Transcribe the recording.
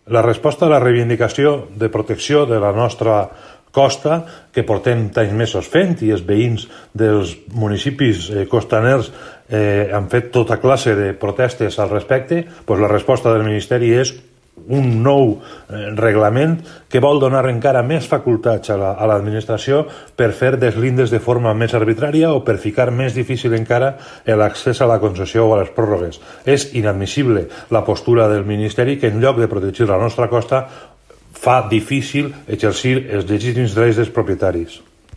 La resposta a la reivindicació de protecció de la nostra costa, que portem anys mesos fent, i els veïns dels municipis costaners han fet tota classe de protestes al respecte, doncs la resposta del Ministeri és un nou reglament que vol donar encara més facultats a l'administració per fer deslindes de forma més arbitrària o per ficar més difícil encara l'accés a la concessió o a les pròrrogues. És inadmissible la postura del Ministeri, que en lloc de protegir la nostra costa fa difícil exercir els legítims drets dels propietaris.